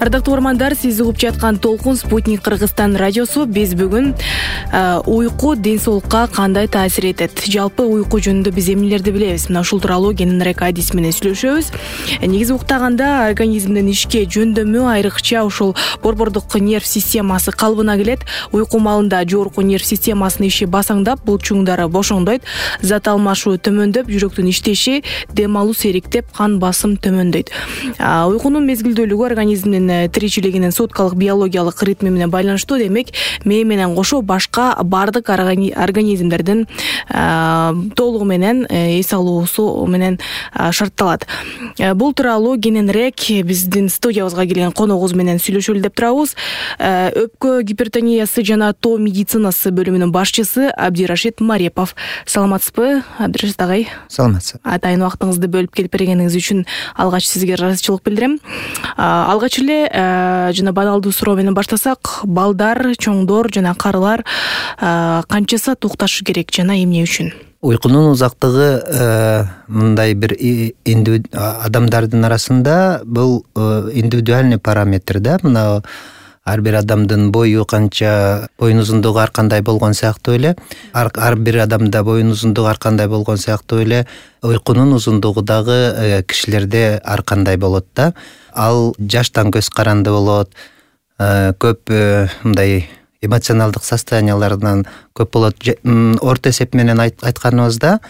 Ардактуу угармандар, сиз угуп жаткан Толкун Спутник Кыргызстан радиосу. Биз бүгүн уйку ден соолукка кандай таасир этет, жалпы уйку жөнүндө биз эмнелерди билебиз, мына ушул тууралуу Генрек Адис менен сүйлөшөбүз. Негизи уктаганда организмдин ишке жөндөмү, айрыкча ушул борбордук нерв системасы калыбына келет. Уйку маалында жогорку нерв системасынын иши басаңдап, булчуңдары бошондойт, зат алмашуу төмөндөп, жүрөктүн иштеши, дем алуу сейриктеп, кан басым төмөндөйт. Уйкунун мезгилдүүлүгү организмдин тиричилигинин суткалык биологиялык ритми менен байланыштуу. Демек, мээ менен кошо башка бардык организмдердин толугу менен эс алуусу менен шартталат. Бул тууралуу кененирээк биздин студиябызга келген коногубуз менен сүйлөшөлү деп турабыз. Өпкө гипертониясы жана тоо медицинасы бөлүмүнүн башчысы Абдирашид Марепов. Саламатсызбы, Абдирашид агай? Саламатсыз. Атайын убактыңызды бөлүп келип бергениңиз үчүн алгач сизге ыраазычылык билдирем. Алгач эле жана баналдуу суроо менен баштасак, балдар, чоңдор жана карылар канча саат укташы керек жана эмне үчүн? Уйкунун узактыгы мындай бир адамдардын арасында бул индивидуальный параметр да. Мына ар бир адамдын бою канча, боюнун узундугу ар кандай болгон сыяктуу эле, ар бир адамда боюнун узундугу ар кандай болгон сыяктуу эле уйкунун узундугу дагы кишилерде ар кандай болот да. Ал жаштан көз каранды болот, көп мындай эмоционалдык состояниялардан көп болот. Орто эсеп менен айтканыбызда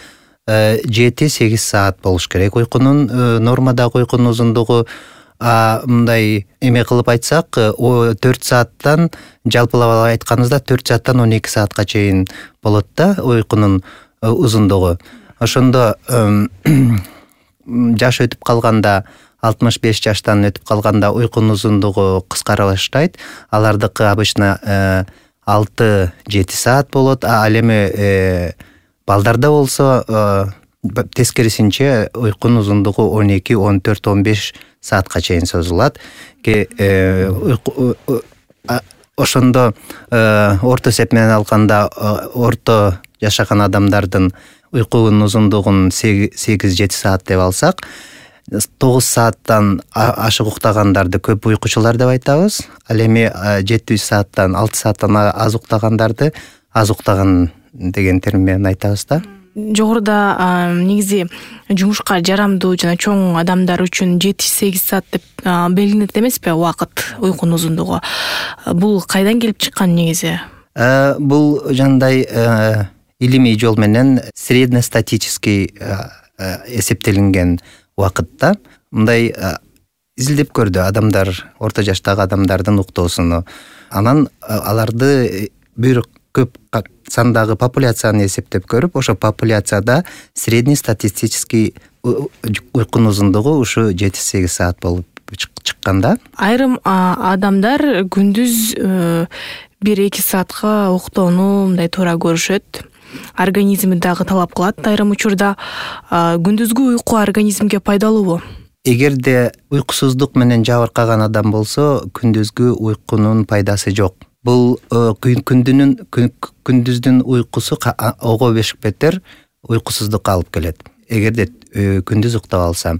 7-8 саат болуш керек уйкунун, нормадагы уйкунун узундугу. Мындай эме кылып айтсак, 4 сааттан, жалпылап айтканыбызда 4 сааттан 12 саатка чейин болот да уйкунун узундугу. Ошондо жаш өтүп калганда, 65 жаштан өтүп калганда уйкунун узундугу кыскара баштайт. Алардыкы обычно 6-7 саат болот. Ал эми балдарда болсо тескерисинче уйкунун узундугу 12, 14, 15 саатка чейин созулат. Ошондо орто эсеп менен алганда орто жашаган адамдардын уйкунун узундугун 8-7 саат деп алсак, 9 сааттан ашык уктагандарды көп уйкучулар деп айтабыз. Ал эми 7 сааттан 6 сааттан аз уктагандарды аз уктаган деген термин менен айтабыз да. Жогоруда негизи жумушка жарамдуу жана чоң адамдар үчүн 7-8 саат деп белгиленет эмеспи убакыт, уйкунун узундугу? Бул кайдан келип чыккан негизи? Бул жандай илимий жол менен среднестатический эсептелинген убакытта. Мындай изилдеп көрдү адамдар, орто жаштагы адамдардын уктоосуну. Анан аларды бир көп сандагы популяцияны эсептеп көрүп, ошо популяцияда среднестатистический уйкунун узундугу ушу 7-8 саат болуп чыкканда. Айрым адамдар күндүз 1-2 саатка уктоону мындай туура көрүшөт. Организми дагы талап кылат айрым учурда. Күндүзгү уйку организмге пайдалуубу? Эгерде уйкусуздук менен жабыркаган адам болсо, күндүзгү уйкунун пайдасы жок. Бул күндүздүн уйкусу ого бешик бетер уйкусуздукка алып келет, эгерде күндүз уктап алса.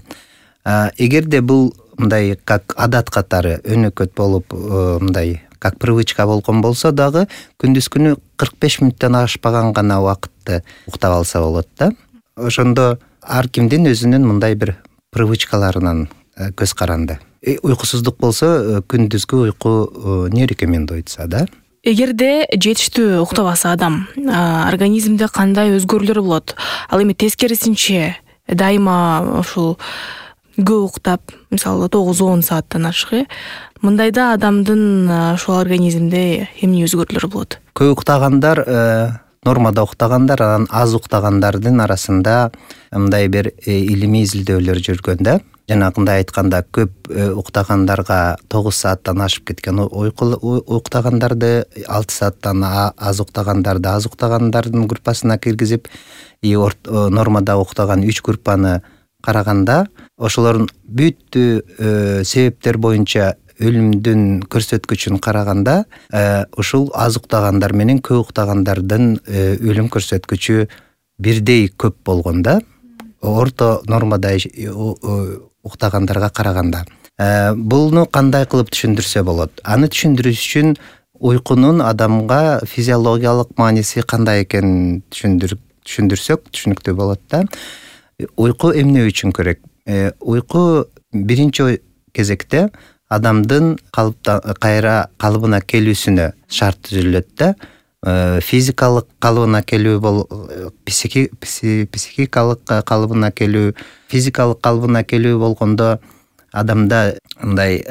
Эгерде бул мындай как адат катары өнөкөт болуп, мындай как привычка болгон болсо дагы, күндүз күнү 45 мүнөттөн ашпаган гана убакытты уктап алса болот да. Ошондо ар кимдин өзүнүн мындай бир привычкаларынан көз каранды. Уйкусуздук болсо күндүзгү уйку не рекомендуется да. Эгерде жетиштүү уктабаса адам, организмде кандай өзгөрүүлөр болот? Ал эми тескерисинче дайыма ушул көп уктап, мисалы 9-10 сааттан ашык, мындайда адамдын ушул организмде эмне өзгөрүүлөр болот? Көп уктагандар, нормада уктагандар, анан аз уктагандардын арасында мындай бир илимий изилдөөлөр жүргөн да. Жанагындай айтканда, көп уктагандарга 9 сааттан ашып кеткен уктагандарды, 6 сааттан аз уктагандарды аз уктагандардын группасына киргизип, нормада уктаган 3 группаны караганда, ошолордун бүт себептер боюнча өлүмдүн көрсөткүчүн караганда, ушул аз уктагандар менен көп уктагандардын өлүм көрсөткүчү бирдей көп болгон да. Орто нормада уктагандарга караганда. Буну кандай кылып түшүндүрсө болот? Аны түшүндүрүш үчүн уйкунун адамга физиологиялык мааниси кандай экенин түшүндүрсөк түшүнүктүү болот да. Уйку эмне үчүн керек? Уйку биринчи кезекте адамдын кайра калыбына келүүсүнө шарт түзүлөт да. Физикалык калыбына келүү психикалык калыбына келүү, физикалык калыбына келүү болгондо адамда мындай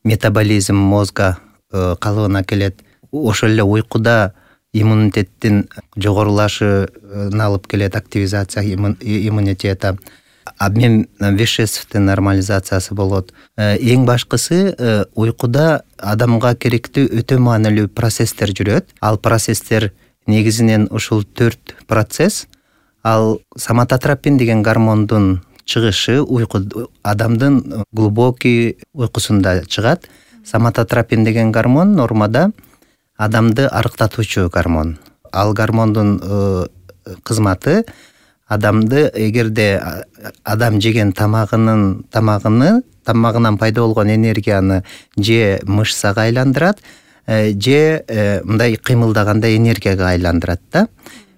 метаболизм мозга калыбына келет. Ошол эле уйкуда иммунитеттин жогорулашына алып келет, активизация иммунитета, обмен веществдин нормализациясы болот. Эң башкысы уйкуда адамга керектүү өтө маанилүү процесстер жүрөт. Ал процесстер негизинен ушул 4 процесс. Ал соматотропин деген гормондун чыгышы адамдын глубокий уйкусунда чыгат. Соматотропин деген гормон нормада адамды арыктатуучу гормон. Ал гормондун кызматы адамды, эгерде адам жеген тамагынан пайда болгон энергияны же мышцага айландырат, же мындай кыймылдаганда энергияга айландырат да.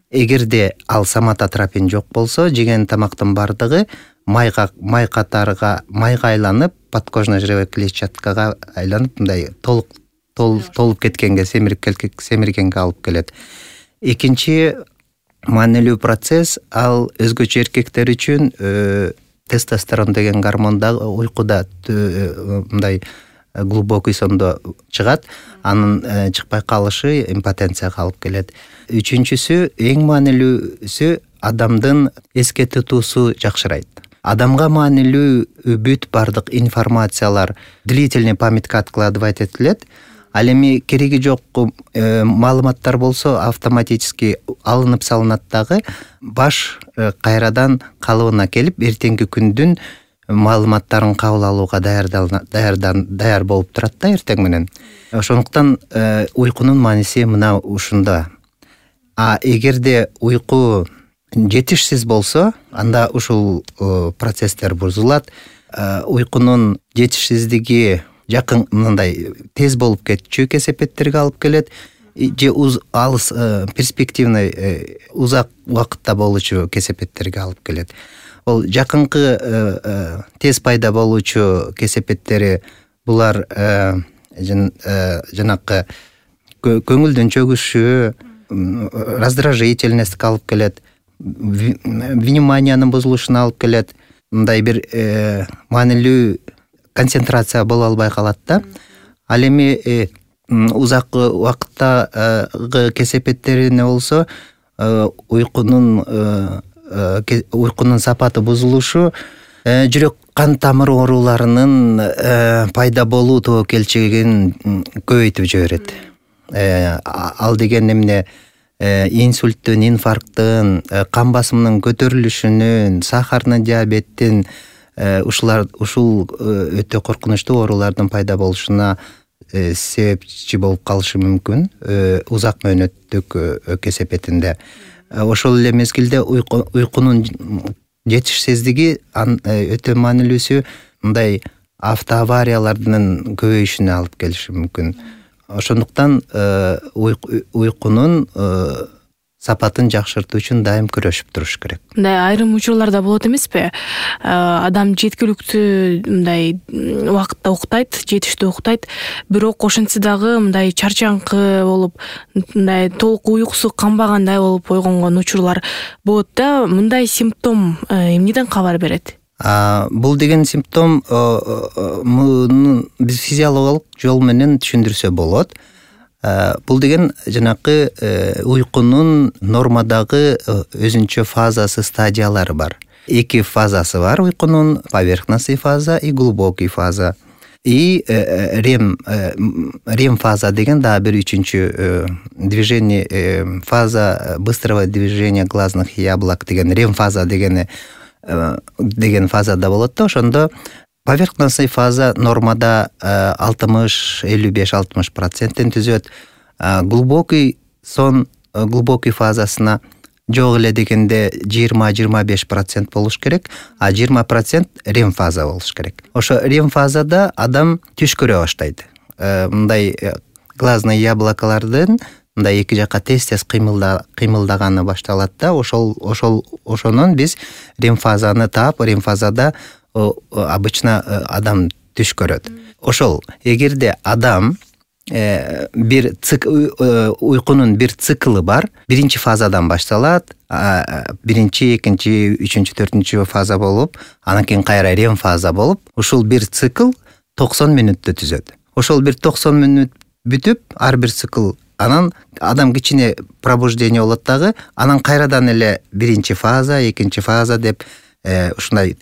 Эгерде ал соматотропин жок болсо, жеген тамактын бардыгы майга айланып, подкожно-жировой клетчаткага айланып, мындай толуп кеткенге, семиргенге алып келет. Экинчи маанилүү процесс ал өзгөчө эркектер үчүн тестостерон деген гормон да уйкуда мындай глубокий сондо чыгат. Анын чыкпай калышы импотенцияга алып келет. Үчүнчүсү, эң маанилүүсү, адамдын эске тутуусу жакшырайт. Адамга маанилүү бүт бардык информациялар длительный памятка откладывать этилет. Ал эми кереги жок маалыматтар болсо автоматически алынып салынат дагы, баш кайрадан калыбына келип, эртеңки күндүн маалыматтарын кабыл алууга даяр болуп турат да эртең менен. Ошондуктан уйкунун мааниси мына ушунда. Эгерде уйку жетишсиз болсо, анда ушул процесстер бузулат. Уйкунун жетишсиздиги жакын мындай тез болуп кетчү кесепеттерге алып келет, же алыс перспективный узак убакытта болуучу кесепеттерге алып келет. Ол жакынкы тез пайда болуучу кесепеттери булар жанакы көңүлдүн чөгүшү, раздражительность алып келет, вниманиянын бузулушуна алып келет, мындай бир маанилүү концентрация боло албай калат да. Ал эми узак убакыттагы кесепеттерине болсо уйкунун сапаты бузулушу жүрөк кан тамыр ооруларынын пайда болуу тобокелчилигин көбөйтүп жиберет. Ал деген эмне? Инсульттун, инфаркттын, кан басымынын көтөрүлүшүнүн, сахарный диабеттин, ушул өтө коркунучтуу оорулардын пайда болушуна себепчи болуп калышы мүмкүн узак мөөнөттүк кесепетинде. Ошол эле мезгилде уйкунун жетишсиздиги өтө маанилүүсү мындай автоавариялардын көбөйүшүнө алып келиши мүмкүн. Ошондуктан уйкунун сапатын жакшыртуу үчүн дайым күрөшүп туруш керек. Мындай айрым учурларда болот эмеспи? Адам жеткиликтүү мындай убакытта уктайт, жетиштүү уктайт, бирок ошентсе дагы мындай чарчаңкы болуп, мындай толук уйкусу канбагандай болуп ойгонгон учурлар болот да. Мындай симптом эмнеден кабар берет? Бул деген симптом биз физиологиялык жол менен түшүндүрсө болот. Бул деген жанакы уйкунун нормадагы өзүнчө фазасы, стадиялары бар. 2 фазасы бар уйкунун: поверхностный фаза и глубокий фаза. И рем фаза деген дагы бир үчүнчү движение, фаза быстрого движения глазных яблок деген рем фаза деген фазада болот да. Ошондо поверхностный фаза нормада 60-55-60% түзөт. Глубокий сон, глубокий фазасына жок эле дегенде 20-25% болуш керек, а 20% REM фаза болуш керек. Ошо REM фазада адам түш көрө баштайт. Мындай глазный яблоколордун мындай эки жакка тез-тез кыймылдаганы башталат да, ошонун биз REM фазаны таап, REM фазада обычно адам түш көрөт. Ошол эгерде адам бир уйкунун бир циклы бар. Биринчи фазадан башталат, биринчи, экинчи, үчүнчү, төртүнчү фаза болуп, анан кийин кайра REM фаза болуп, ушул бир цикл 90 мүнөттү түзөт. Ошол бир 90 мүнөт бүтүп, ар бир цикл анан адам кичине пробуждение болот дагы, анан кайрадан эле биринчи фаза, экинчи фаза деп ушундай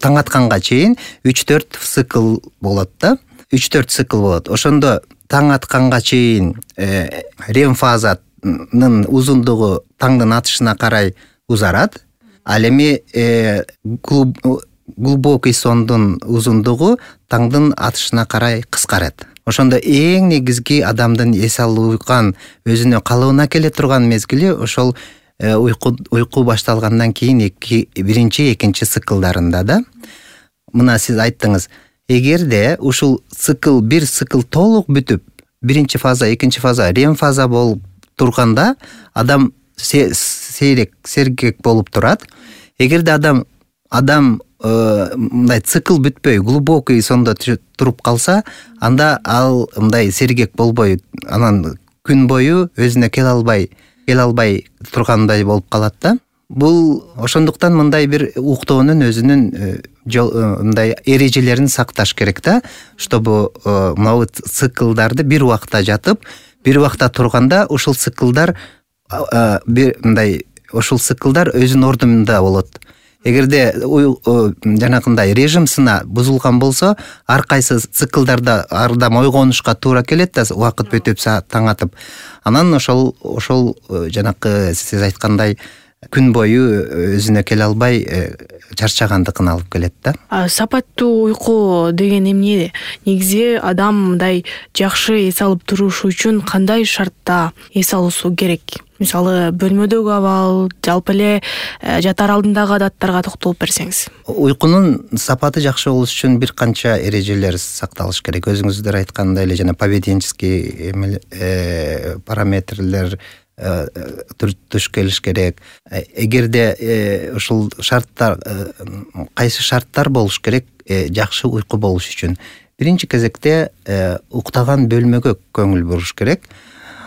таң атканга чейин 3-4 цикл болот да. 3-4 цикл болот. Ошондо таң атканга чейин REM фазанын узундугу таңдын атышына карай узарат. Ал эми глубокий сондун узундугу таңдын атышына карай кыскарат. Ошондо эң негизги адамдын эс алган, өзүнө калыбына келе турган мезгили ошол уйку башталгандан кийин биринчи, экинчи циклдарында да. Мына сиз айттыңыз, эгерде ушул цикл, бир цикл толук бүтүп, биринчи фаза, экинчи фаза, REM фаза болуп турганда адам сергек болуп турат. Эгерде адам мындай цикл бүтпөй, глубокий сондо туруп калса, анда ал мындай сергек болбой, анан күн бою өзүнө келе албай тургандай болуп калат да. Бул ошондуктан мындай бир уктоонун өзүнүн мындай эрежелерин сакташ керек да, чтобы могу циклдарды бир убакта жатып, бир убакта турганда ушул циклдар өзүнүн ордунда болот. Эгерде жанакындай режим сына бузулган болсо, ар кайсы циклдарда адам ойгонушка туура келет да, убакыт бүтүп таң атып. Анан ошол жанакы сиз айткандай күн бою өзүнө келе албай чарчагандыгын алып келет да. Сапаттуу уйку деген эмне? Негизи адам мындай жакшы эс алып туруш үчүн кандай шартта эс алуусу керек? Мисалы, бөлмөдөгү абал, жалпы эле жатар алдындагы адаттарга токтолуп берсеңиз. Уйкунун сапаты жакшы болуш үчүн бир канча эрежелер сакталыш керек. Өзүңүздөр айткандай эле жана поведенческий параметрлер туш келиш керек. Эгерде ушул шарттар, кайсы шарттар болуш керек жакшы уйку болуш үчүн? Биринчи кезекте уктаган бөлмөгө көңүл буруш керек.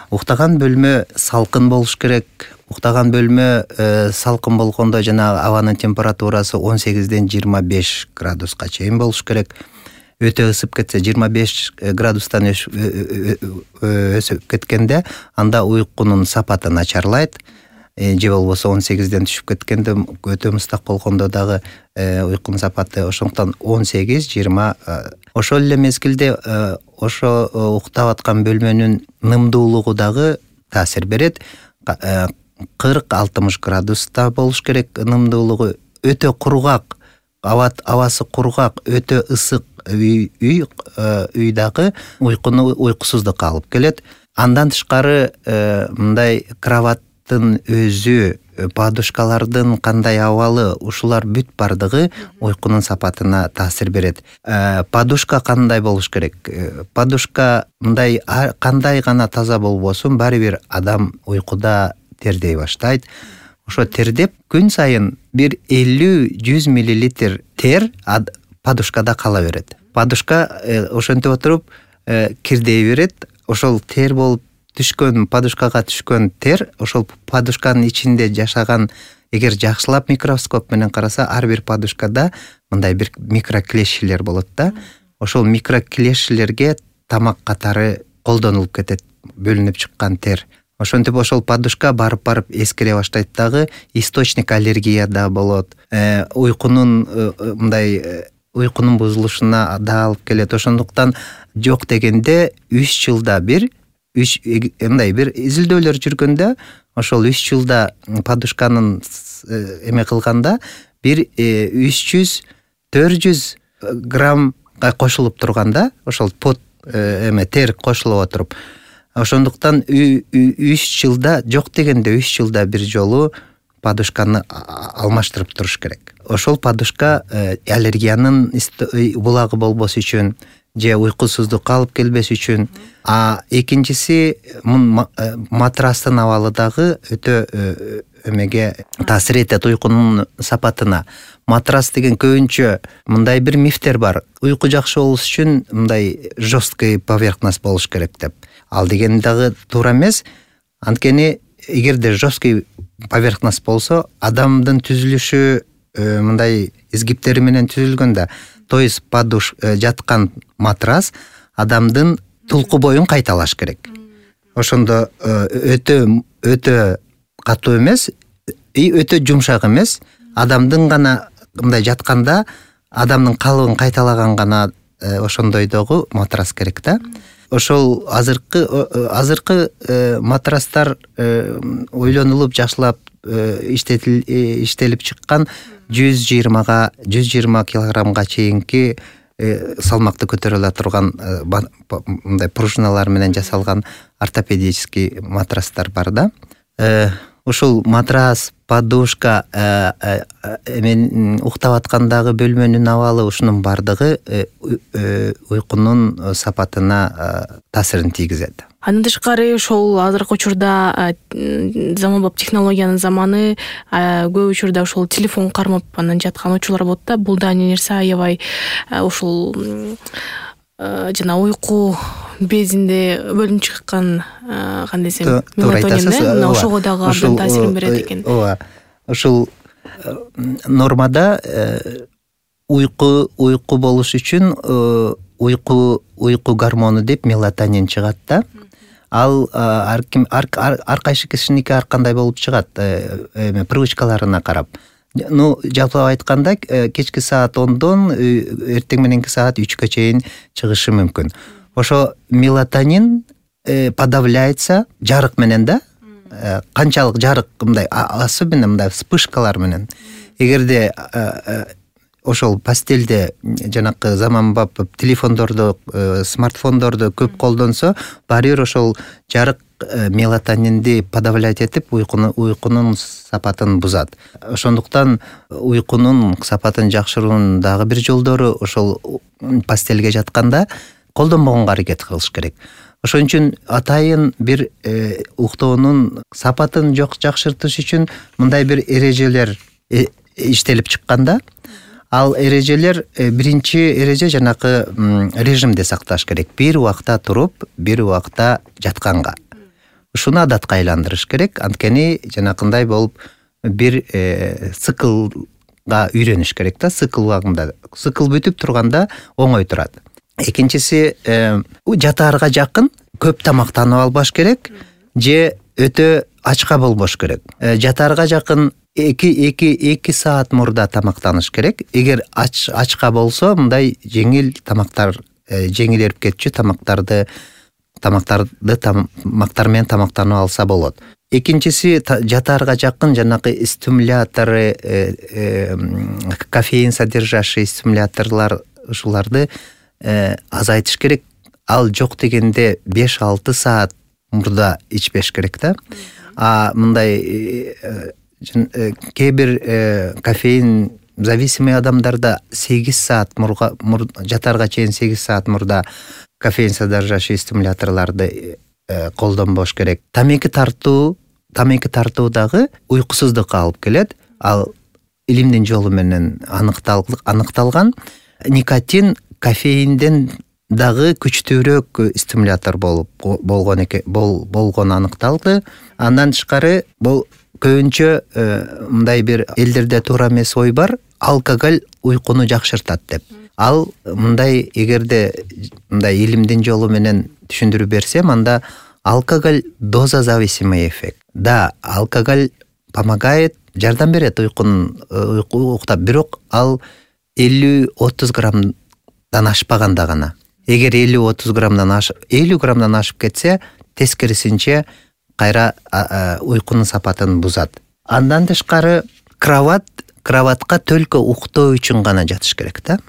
Уктаган бөлмө салкын болуш керек. Уктаган бөлмө салкын болгондо жана абанын температурасы 18-ден 25 градуска чейин болуш керек. Өтө ысып кетсе, 25 градустан өсүп кеткенде, анда уйкунун сапаты начарлайт. Же болбосо 18-ден түшүп кеткенде, өтө мустак болгондо дагы уйкунун сапаты. Ошондуктан 18-20. Ошол эле мезгилде ошо уктап аткан бөлмөнүн нымдуулугу дагы таасир берет. 40-60 градуста болуш керек нымдуулугу. Өтө кургак, абасы кургак, өтө ысык үй дагы уйкуну уйкусуздукка алып келет. Андан тышкары мындай кроваттын өзү, подушкалардын кандай абалы, ушулар бүт бардыгы уйкунун сапатына таасир берет. Подушка кандай болуш керек? Подушка мындай кандай гана таза болбосун, баары бир адам уйкуда тердей баштайт. Ошо тердеп күн сайын бир 50-100 мл тер подушкада кала берет. Подушка ошентип отуруп кирдей берет. Ошол тер болуп түшкөн, подушкага түшкөн тер, ошол подушканын ичинде жашаган, эгер жакшылап микроскоп менен караса, ар бир подушкада мындай бир микроклешилер болот да. Ошол микроклешилерге тамак катары колдонулуп кетет, бөлүнүп чыккан тер. Ошентип ошол подушка барып эскире баштайт дагы, источник аллергия да болот. Уйкунун бузулушуна да алып келет. Ошондуктан жок дегенде 3 жылда бир бир изилдөөлөр жүргөндө, ошол 3 жылда подушканын эме кылганда бир 300-400 граммга кошулуп турганда, ошол тер кошулуп отуруп, ошондуктан 3 жылда, жок дегенде 3 жылда бир жолу подушканы алмаштырып туруш керек. Ошол подушка аллергиянын булагы болбос үчүн же уйкусуздукка алып келбес үчүн. Экинчиси матрастын абалы дагы өтө эмеге таасир этет уйкунун сапатына. Матрас деген көбүнчө мындай бир мифтер бар. Уйку жакшы болуш үчүн мындай жесткий поверхность болуш керек деп. Ал деген дагы туура эмес. Анткени эгерде жесткий поверхность болсо, адамдын түзүлүшү мындай изгиптери менен түзүлгөндө, то есть жаткан матрас адамдын тулку боюн кайталаш керек. Ошондо өтө катуу эмес, өтө жумшак эмес, адамдын гана мындай жатканда адамдын калыбын кайталаган гана ошондойдогу матрас керек да. Ошол азыркы матрастар ойлонулуп жакшылап иштелип чыккан 120 килограммга чейинки салмакты көтөрө ала турган мындай пружиналар менен жасалган ортопедический матрастар бар да. Ушул матрас, подушка, мен уктап аткандагы бөлмөнүн абалы, ушунун бардыгы уйкунун сапатына таасирин тийгизет. Андан тышкары ошол азыркы учурда заманбап технологиянын заманы, көп учурда ошол телефон кармап анан жаткан учурлар болот да. Бул да нерсе аябай ошол жана уйку безинде бөлүнүп чыккан кандай десем мелатонин ошого дагы абдан таасирин берет экен. Ооба. Ушул нормада уйку болуш үчүн уйку гормону деп мелатонин чыгат да. Ал ар кайсы кишиники ар кандай болуп чыгат, привычкаларына карап. Жалпылап айтканда кечки саат 10дон эртең мененки саат 3кө чейин чыгышы мүмкүн. Ошо мелатонин подавляется жарык менен да. Канчалык жарык мындай особенно мындай вспышкалар менен. Эгерде ошол постелде жанакы заманбап телефондорду, смартфондорду көп колдонсо, баары бир ошол жарык мелатонинди подавлять этип уйкунун сапатын бузат. Ошондуктан уйкунун сапатын жакшыруунун дагы бир жолдору ошол постелге жатканда колдонбогонго аракет кылыш керек. Ошон үчүн атайын бир уктоонун сапатын жакшыртыш үчүн мындай бир эрежелер иштелип чыкканда, ал эрежелер биринчи эреже жанакы режимде сакташ керек. Бир убакта туруп, бир убакта жатканга. Ушуну адатка айландырыш керек. Анткени жанакындай болуп бир циклга үйрөнүш керек да, цикл убагында. Цикл бүтүп турганда оңой турат. Экинчиси жатаарга жакын көп тамактанып албаш керек же өтө ачка болбош керек. Жатаарга жакын 2 саат мурда тамактаныш керек. Эгер ачка болсо, мындай жеңил тамактар, жеңил эрип кетчү тамактарды тамактар менен тамактанып алса болот. Экинчиси жатаарга жакын жанакы стимуляторы, кофеин содержащий стимуляторлар, ушуларды азайтыш керек. Ал жок дегенде 5-6 саат мурда ичпеш керек да. Мындай кээ бир кофеин зависимый адамдарда 8 саат жатаарга чейин 8 саат мурда кофеин содержащий стимуляторларды колдонбош керек. Тамеки тартуу дагы уйкусуздукка алып келет. Ал илимдин жолу менен аныкталган. Никотин кофеинден дагы күчтүүрөөк стимулятор болгону аныкталды. Андан тышкары бул көбүнчө мындай бир элдерде туура эмес ой бар, алкоголь уйкуну жакшыртат деп. Ал мындай эгерде мындай илимдин жолу менен түшүндүрүп берсем, анда алкоголь доза зависимый эффект. Да, алкоголь помогает, жардам берет уктап, бирок ал 50-30 граммдан ашпаганда гана. Эгер 50-30 граммдан ашып кетсе, тескерисинче кайра уйкунун сапатын бузат. Андан тышкары кроватка только уктоо үчүн гана жатыш керек да.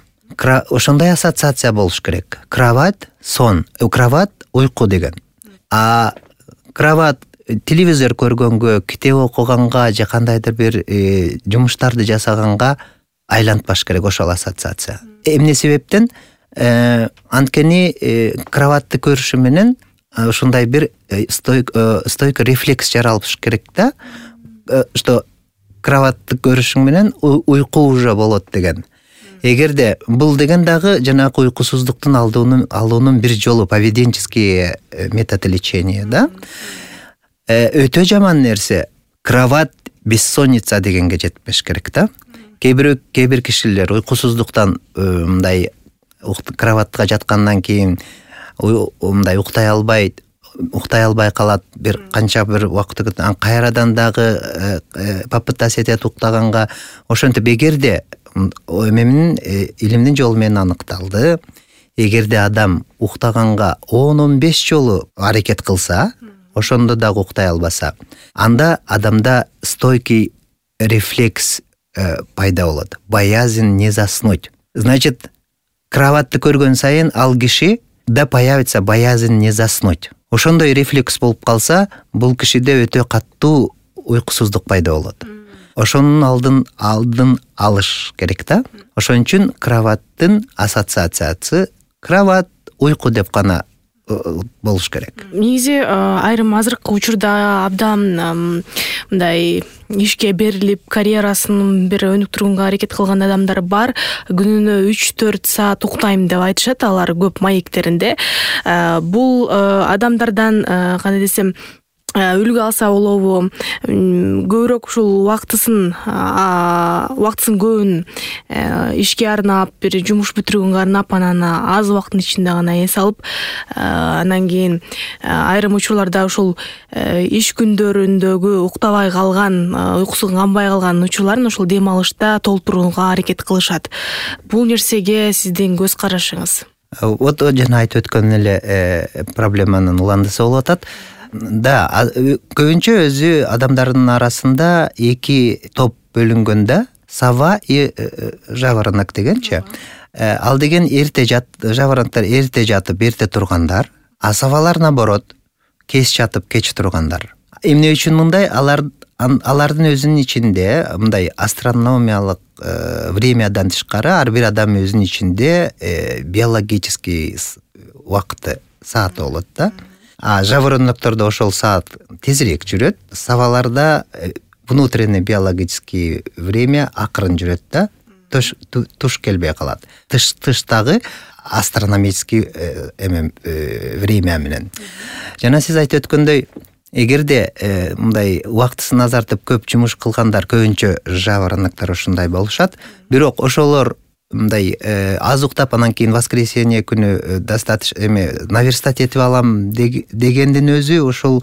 Ошондой ассоциация болуш керек. Кровать сон, кровать уйку деген. Кровать телевизор көргөнгө, китеп окуганга же кандайдыр бир жумуштарды жасаганга айлантпаш керек ошол ассоциация. Эмне себептен анткени кроватты көрүшү менен ушундай бир стойк рефлекс жаралыш керек да, что кроватты көрүшүң менен уйку уже болот деген. Эгерде бул деген дагы жанагы уйкусуздуктун алуунун бир жолу, поведенческий метод лечения, да. Өтө жаман нерсе кроват бессонница дегенге жетпеш керек да. Кээ бир кишилер уйкусуздуктан мындай кроватка жаткандан кийин мындай уктай албай калат, бир канча бир убакыт кайрадан дагы попытаться этет уктаганга. Ошентип эгерде эмнин илимдин жолу менен аныкталды, эгерде адам уктаганга 10-15 жолу аракет кылса, ошондо дагы уктай албаса, анда адамда стойкий рефлекс пайда болот. Боязнь не заснуть. Значит, кроватты көргөн сайын ал киши да появится боязнь не заснуть. Ошондой рефлекс болуп калса, бул кишиде өтө каттуу уйкусуздук пайда болот. Ошонун алдын алыш керек да. Ошон үчүн кроваттын ассоциациясы кроват, уйку деп гана болуш керек. Негизи айрым азыркы учурда абдан мындай ишке берилип, карьерасын бир өнүктүрүүгө аракет кылган адамдар бар. Күнүнө 3-4 саат уктайм деп айтышат алар көп маектеринде. Бул адамдардан кандай десем, үлгү алса болобу, көбүрөөк ушул убактысын көбүн ишке арнап, бир жумуш бүтүрүүгө арнап, анан аз убакыттын ичинде гана эс алып, анан кийин айрым учурларда ушул иш күндөрүндөгү уктабай калган, уйкусу канбай калган учурларын ушул дем алышта толтурууга аракет кылышат. Бул нерсеге сиздин көз карашыңыз? Вот жана айтып өткөн эле проблеманын уландысы болуп атат. Да, көбүнчө өзү адамдардын арасында эки топ бөлүнгөндө, сова и жаворонок дегенчи. Ал деген жаворонктор эрте жатып, эрте тургандар, а совалар наоборот, кеч жатып, кеч тургандар. Эмне үчүн мындай? Алардын өзүнүн ичинде мындай астрономиялык времядан тышкары ар бир адам өзүнүн ичинде биологический убакыты, сааты болот да. А жавороноктордо ошол саат тезирээк жүрөт, соваларда внутренний биологический время акырын жүрөт да, туш келбей калат. Тыштагы астрономический время менен. Жана сиз айтып өткөндөй, эгерде мындай убактысын азартып көп жумуш кылгандар көбүнчө жавороноктор ушундай болушат. Бирок ошолор мындай аз уктап, анан кийин воскресенье күнү достаточно наверстать этип алам дегендин өзү ошол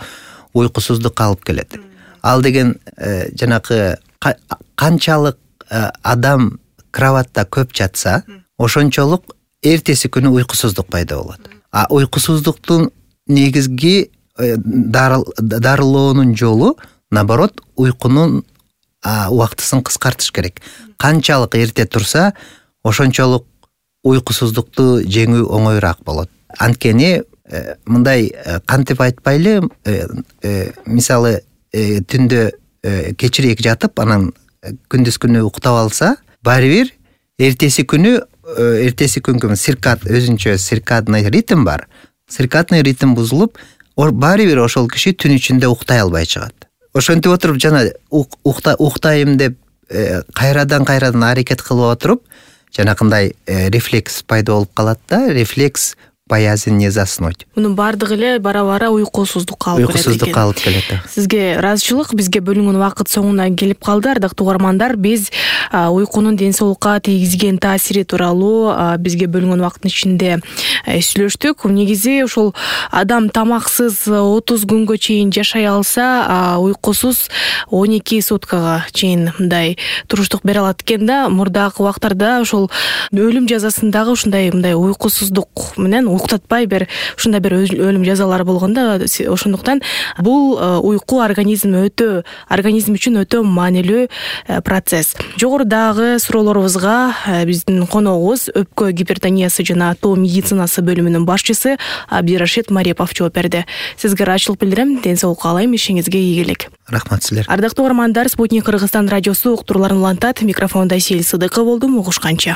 уйкусуздукка алып келет. Ал деген жанакы канчалык адам кроватта көп жатса, ошончолук эртеси күнү уйкусуздук пайда болот. А уйкусуздуктун негизги дарылоонун жолу наоборот уйкунун убактысын кыскартыш керек. Канчалык эрте турса, ошончолук уйкусуздукту жеңүү оңоюраак болот. Анткени мындай кантип айтпайлы, мисалы түндө кечирээк жатып, анан күндүз күнү уктап алса, баары бир эртеси күнгө циркад өзүнчө циркадный ритм бар. Циркадный ритм бузулуп, баары бир ошол киши түн ичинде уктай албай чыгат. Ошентип отуруп жана уктайм деп кайрадан аракет кылып отуруп, жанакындай рефлекс пайда болуп калат да, рефлекс боязнь не заснуть. Мунун баардыгы эле бара-бара уйкусуздукка алып келет. Уйкусуздукка алып келет. Сизге ыраазычылык. Бизге бөлүнгөн убакыт соңуна келип калды. Ардактуу угармандар, биз уйкунун ден соолукка тийгизген таасири тууралуу бизге бөлүнгөн убакыттын ичинде сүйлөштүк. Негизи ушул адам тамаксыз 30 күнгө чейин жашай алса, уйкусуз 12 суткага чейин мындай туруштук бере алат экен да. Мурдагы убактарда ошол өлүм жазасындагы ушундай уйкусуздук менен уктатпай бир ушундай бир өлүм жазалары болгондо, ошондуктан бул уйку организм үчүн өтө маанилүү процесс. Жогорудагы суроолорубузга биздин коногубуз өпкө гипертониясы жана тоо медицинасы бөлүмүнүн башчысы Абдирашид Марипов жооп берди. Сизге ыраазычылык билдирем. Ден соолук каалайм. Ишиңизге ийгилик. Рахмат силер. Ардактуу угармандар, Спутник Кыргызстан радиосу уктурууларын улантат. Микрофондо Сел Сыдыкова болдум. Угушканча.